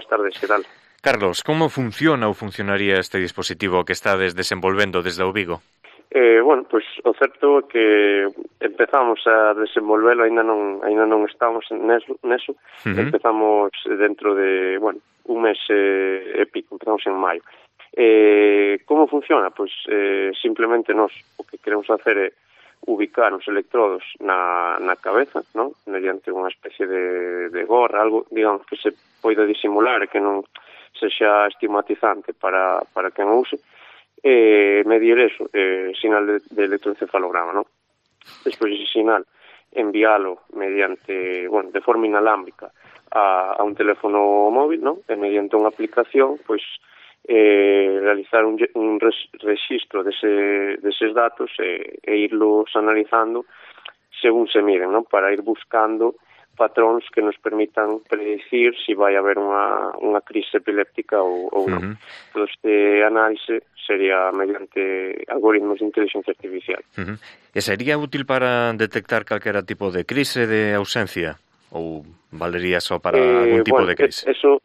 tardes, que tal? Carlos, como funciona ou funcionaría este dispositivo que estades desenvolvendo desde o Vigo? Bueno, pois o certo é que empezamos a desenvolvelo, aínda non estamos neso. Empezamos dentro de, bueno, un mes e pico, empezamos en maio. Como funciona? Pois simplemente nós o que queremos hacer é ubicar os electrodos na cabeza, non? Mediante unha especie de gorra, algo, digamos, que se poida disimular e que non sexa estigmatizante para quen o use, medir eso, sinal de electroencefalograma, non? Despois ese sinal enviálo mediante, bueno, de forma inalámbrica a un teléfono móvil, non? E mediante unha aplicación, pois realizar un registro deses datos e irlos analizando según se miden, non? Para ir buscando patróns que nos permitan predicir se vai haber unha crise epiléptica ou non. Todo este análise sería mediante algoritmos de inteligencia artificial. E sería útil para detectar calquera tipo de crise de ausencia? Ou valería só para algún tipo de crise? Eso,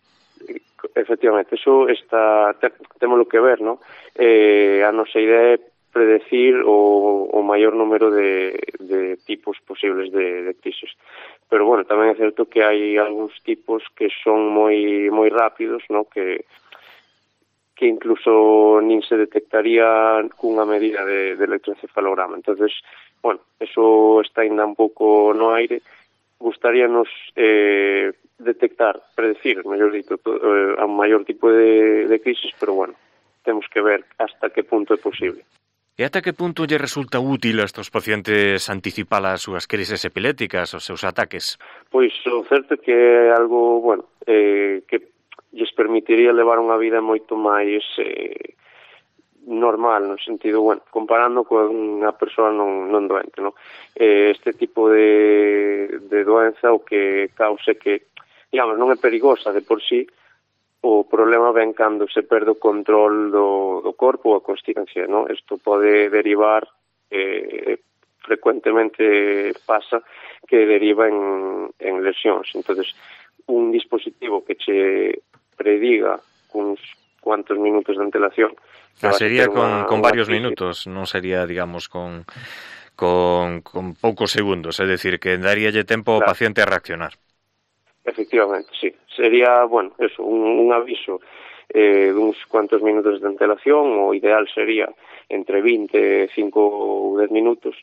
efectivamente, eso está, témolo que ver, non? A nosa idea é predecir o maior número de tipos posibles de crisis. Pero, bueno, tamén é certo que hai algúns tipos que son moi rápidos, non? Que incluso nin se detectaría cunha medida de electroencefalograma. Entonces, bueno, eso está ainda un pouco no aire. Gustaríanos detectar, predecir, mellor dito, a maior tipo de crisis, pero, bueno, temos que ver hasta que punto é posible. E ata que punto lle resulta útil a estos pacientes anticipar as súas crises epilépticas, os seus ataques? Pois o certo é que é algo, bueno, que lles permitiría levar unha vida moito máis normal, no sentido, bueno, comparando con unha persoa non doente, non? Este tipo de doenza o que cause que, digamos, non é perigosa de por sí. O problema ven cando se perde o control do corpo ou a consciencia, non? Isto pode derivar, frecuentemente pasa, que deriva en lesións. Entonces, un dispositivo que che prediga cuns cuantos minutos de antelación... Sería con varios minutos, non sería, digamos, con poucos segundos, é dicir, que daríalle tempo ao paciente a reaccionar. Efectivamente, sí. Sería, bueno, eso, un aviso duns cuantos minutos de antelación, o ideal sería entre 20, 5 ou 10 minutos,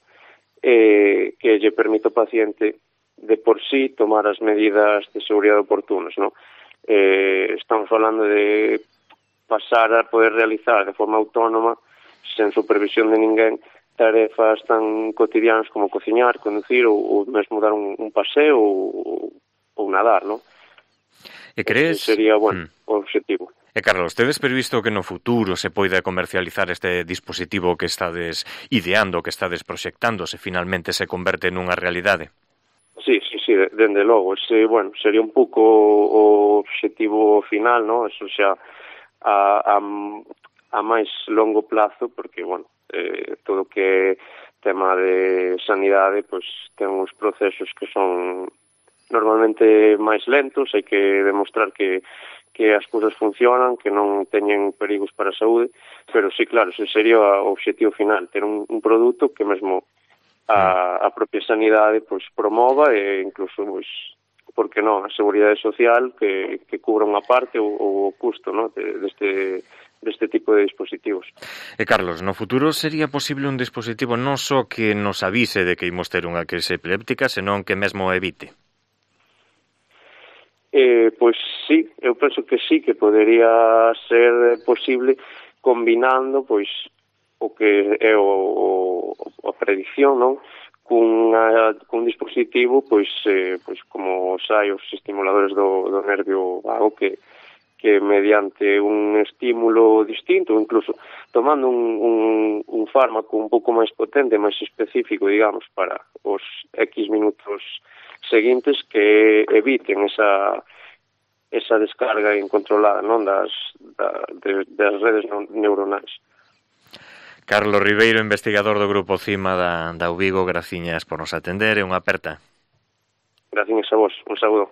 que lle permite ao paciente de por sí tomar as medidas de seguridade oportunas, non? Estamos falando de pasar a poder realizar de forma autónoma, sen supervisión de ninguén, tarefas tan cotidianas como cociñar, conducir ou mesmo dar un paseo ou nadar, non? E crees... Sería, bueno, o objetivo. E, Carlos, tedes previsto que no futuro se poida comercializar este dispositivo que estades ideando, que estades proxectando, se finalmente se converte nunha realidade? Sí, dende logo. Bueno, sería un pouco o objetivo final, non? Eso xa a máis longo plazo, porque, bueno, todo que tema de sanidade, pois ten uns procesos que son normalmente máis lentos, hai que demostrar que as cousas funcionan, que non teñen perigos para a saúde, pero sí, claro, ese sería o objetivo final, ter un produto que mesmo a propia sanidade pois promova e incluso, pois, porque non, a seguridade social que cubra unha parte ou o custo, non, deste tipo de dispositivos. E, Carlos, no futuro sería posible un dispositivo non só que nos avise de que imos ter unha crise epiléptica, senón que mesmo evite? Pois sí, eu penso que sí, que podería ser posible combinando pois o que é a predicción, non? Cun dispositivo pois como os estimuladores do nervio vago que mediante un estímulo distinto, incluso tomando un fármaco un pouco máis potente, máis específico, digamos, para os X minutos seguintes, que eviten esa descarga incontrolada, non, das redes neuronais. Carlos Ribeiro, investigador do Grupo CIMA da UVigo, graciñas por nos atender e unha aperta. Graciñas a vos, un saúdo.